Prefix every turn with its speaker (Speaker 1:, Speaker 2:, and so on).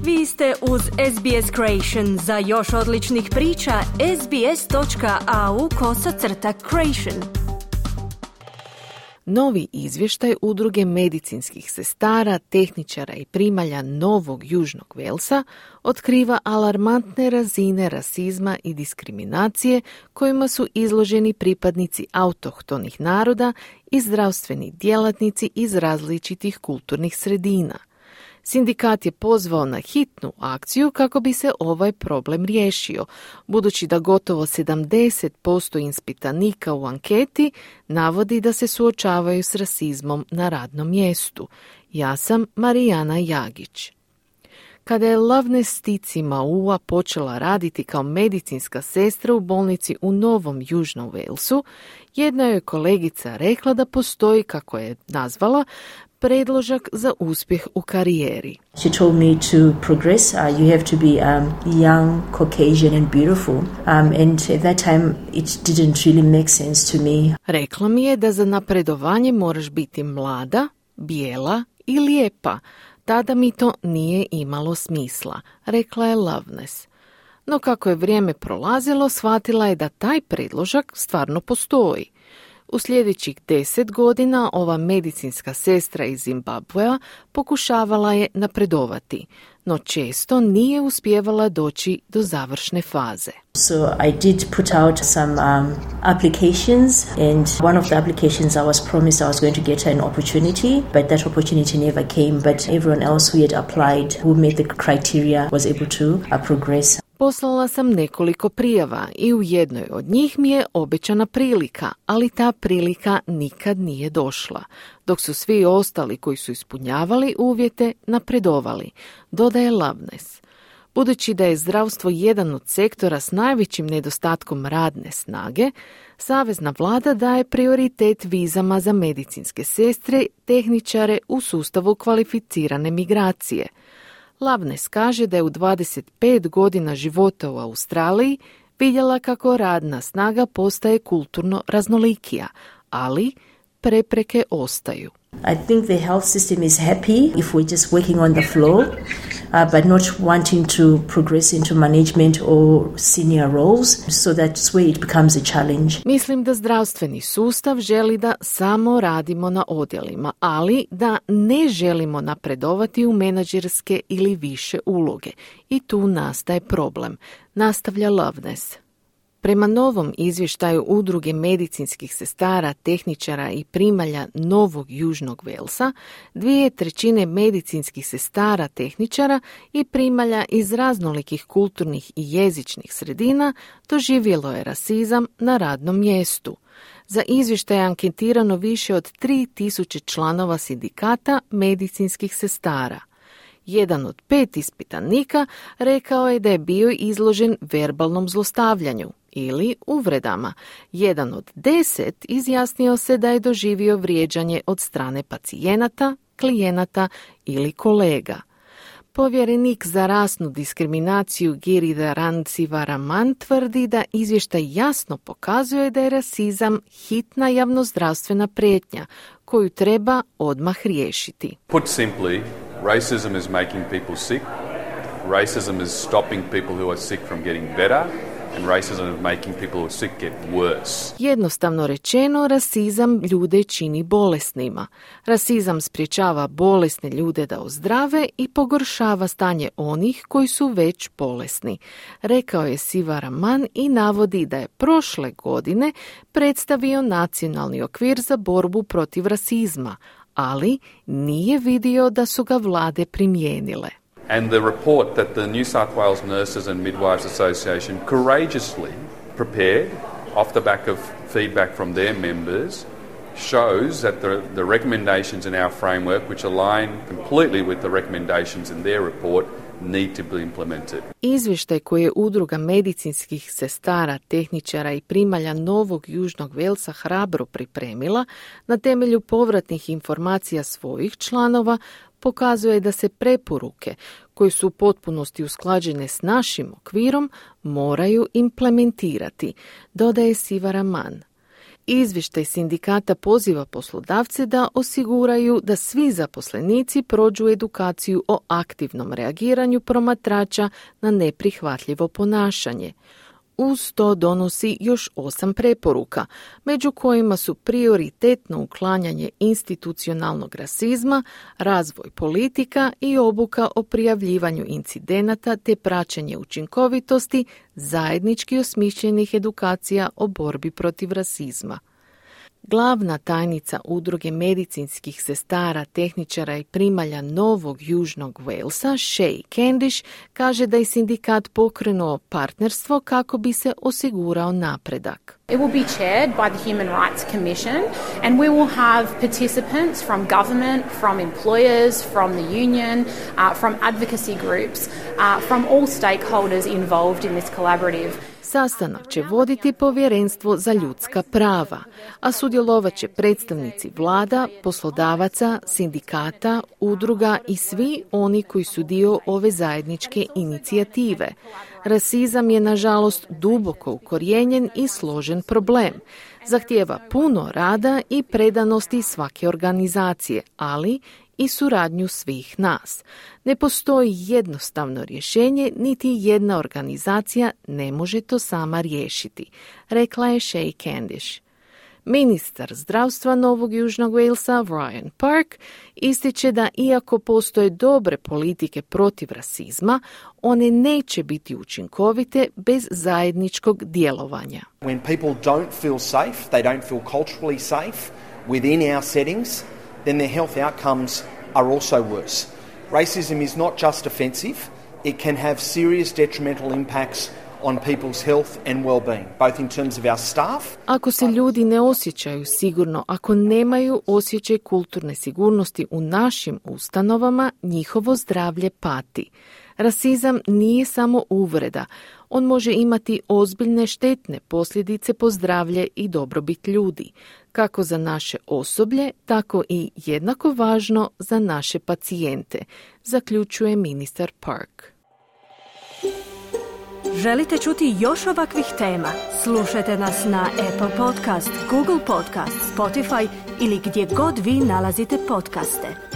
Speaker 1: Vi ste uz SBS Creation. Za još odličnih priča, sbs.au/creation.
Speaker 2: Novi izvještaj Udruge medicinskih sestara, tehničara i primalja Novog Južnog Velsa otkriva alarmantne razine rasizma i diskriminacije kojima su izloženi pripadnici autohtonih naroda i zdravstveni djelatnici iz različitih kulturnih sredina. Sindikat je pozvao na hitnu akciju kako bi se ovaj problem riješio, budući da gotovo 70% ispitanika u anketi navodi da se suočavaju s rasizmom na radnom mjestu. Ja sam Marijana Jagić. Kada je Loveness Stici Maua počela raditi kao medicinska sestra u bolnici u Novom Južnom Velsu, jedna joj kolegica rekla da postoji, kako je nazvala, predložak za uspjeh u karijeri.
Speaker 3: She told me to progress. You have to be young, Caucasian and beautiful. And at that time it didn't really make sense to me.
Speaker 2: Rekla mi je da za napredovanje moraš biti mlada, bijela i lijepa. Tada mi to nije imalo smisla, rekla je Loveness. No kako je vrijeme prolazilo, shvatila je da taj predložak stvarno postoji. U sljedećih 10 godina ova medicinska sestra iz Zimbabvea pokušavala je napredovati, no često nije uspijevala doći do završne faze.
Speaker 3: So I did put out some applications, and one of the applications I was promised I was going to get an opportunity, but that opportunity never came. But everyone else who had applied, who met the criteria, was able to progress.
Speaker 2: Poslala sam nekoliko prijava i u jednoj od njih mi je obećana prilika, ali ta prilika nikad nije došla, dok su svi ostali koji su ispunjavali uvjete napredovali, dodaje Loveness. Budući da je zdravstvo jedan od sektora s najvećim nedostatkom radne snage, Savezna vlada daje prioritet vizama za medicinske sestre, tehničare u sustavu kvalificirane migracije. Loveness kaže da je u 25 godina života u Australiji vidjela kako radna snaga postaje kulturno raznolikija, ali prepreke ostaju.
Speaker 3: I think the health system is happy if we're just working on the floor, but not wanting to progress into management or senior roles, so that's where it becomes a challenge.
Speaker 2: Mislim da zdravstveni sustav želi da samo radimo na odjelima, ali da ne želimo napredovati u menadžerske ili više uloge. I tu nastaje problem, nastavlja Loveness. Prema novom izvještaju Udruge medicinskih sestara, tehničara i primalja Novog Južnog Velsa, 2/3 medicinskih sestara, tehničara i primalja iz raznolikih kulturnih i jezičnih sredina doživjelo je rasizam na radnom mjestu. Za izvještaj je anketirano više od 3000 članova sindikata medicinskih sestara. Jedan od 5 ispitanika rekao je da je bio izložen verbalnom zlostavljanju ili uvredama. Jedan od 10 izjasnio se da je doživio vrijeđanje od strane pacijenata, klijenata ili kolega. Povjerenik za rasnu diskriminaciju Giridharan Sivaraman tvrdi da izvještaj jasno pokazuje da je rasizam hitna javnozdravstvena prijetnja koju treba odmah riješiti.
Speaker 4: Put simply, racism is making people sick. Racism is stopping people who are sick from getting better. And racism is making people who are sick get worse.
Speaker 2: Jednostavno rečeno, rasizam ljude čini bolesnima. Rasizam sprječava bolesne ljude da ozdrave i pogoršava stanje onih koji su već bolesni, rekao je Sivaraman i navodi da je prošle godine predstavio nacionalni okvir za borbu protiv rasizma, ali nije vidio da su ga vlade primijenile.
Speaker 4: And the report that the New South Wales Nurses and Midwives Association courageously prepared off the back of feedback from their members shows that the recommendations in our framework, which align completely with the recommendations in their report, need to be implemented.
Speaker 2: Izvještaj koji je Udruga medicinskih sestara, tehničara i primalja Novog Južnog Velsa hrabro pripremila na temelju povratnih informacija svojih članova pokazuje da se preporuke koje su u potpunosti usklađene s našim okvirom moraju implementirati, dodaje Sivaraman. Izvještaj sindikata poziva poslodavce da osiguraju da svi zaposlenici prođu edukaciju o aktivnom reagiranju promatrača na neprihvatljivo ponašanje. Uz to donosi još 8 preporuka, među kojima su prioritetno uklanjanje institucionalnog rasizma, razvoj politika i obuka o prijavljivanju incidenata te praćenje učinkovitosti zajednički osmišljenih edukacija o borbi protiv rasizma. Glavna tajnica Udruge medicinskih sestara, tehničara i primalja Novog Južnog Walesa, Shay Candish, kaže da je sindikat pokrenuo partnerstvo kako bi se osigurao napredak.
Speaker 5: It will be chaired by the Human Rights Commission and we will have participants from government, from employers, from the union, from advocacy groups, from all stakeholders involved in this collaborative.
Speaker 2: Sastanak će voditi Povjerenstvo za ljudska prava, a sudjelovat će predstavnici vlada, poslodavaca, sindikata, udruga i svi oni koji su dio ove zajedničke inicijative. Rasizam je, nažalost, duboko ukorijenjen i složen problem. Zahtijeva puno rada i predanosti svake organizacije, ali i suradnju svih nas. Ne postoji jednostavno rješenje, niti jedna organizacija ne može to sama riješiti, rekla je Shay Candish. Ministar zdravstva Novog Južnog Walesa, Ryan Park, ističe da iako postoje dobre politike protiv rasizma, one neće biti učinkovite bez zajedničkog djelovanja.
Speaker 6: When people don't feel safe, they don't feel culturally safe within our settings, then their health outcomes are also worse. Racism is not just offensive, it can have serious detrimental impacts on people's health and well-being, both in terms of our staff.
Speaker 2: Ako se ljudi ne osjećaju sigurno, ako nemaju osjećaj kulturne sigurnosti u našim ustanovama, njihovo zdravlje pati. Rasizam nije samo uvreda. On može imati ozbiljne štetne posljedice po zdravlje i dobrobit ljudi, kako za naše osoblje, tako i jednako važno za naše pacijente, zaključuje ministar Park.
Speaker 1: Želite čuti još ovakvih tema? Slušajte nas na Apple Podcast, Google Podcast, Spotify ili gdje god vi nalazite podcaste.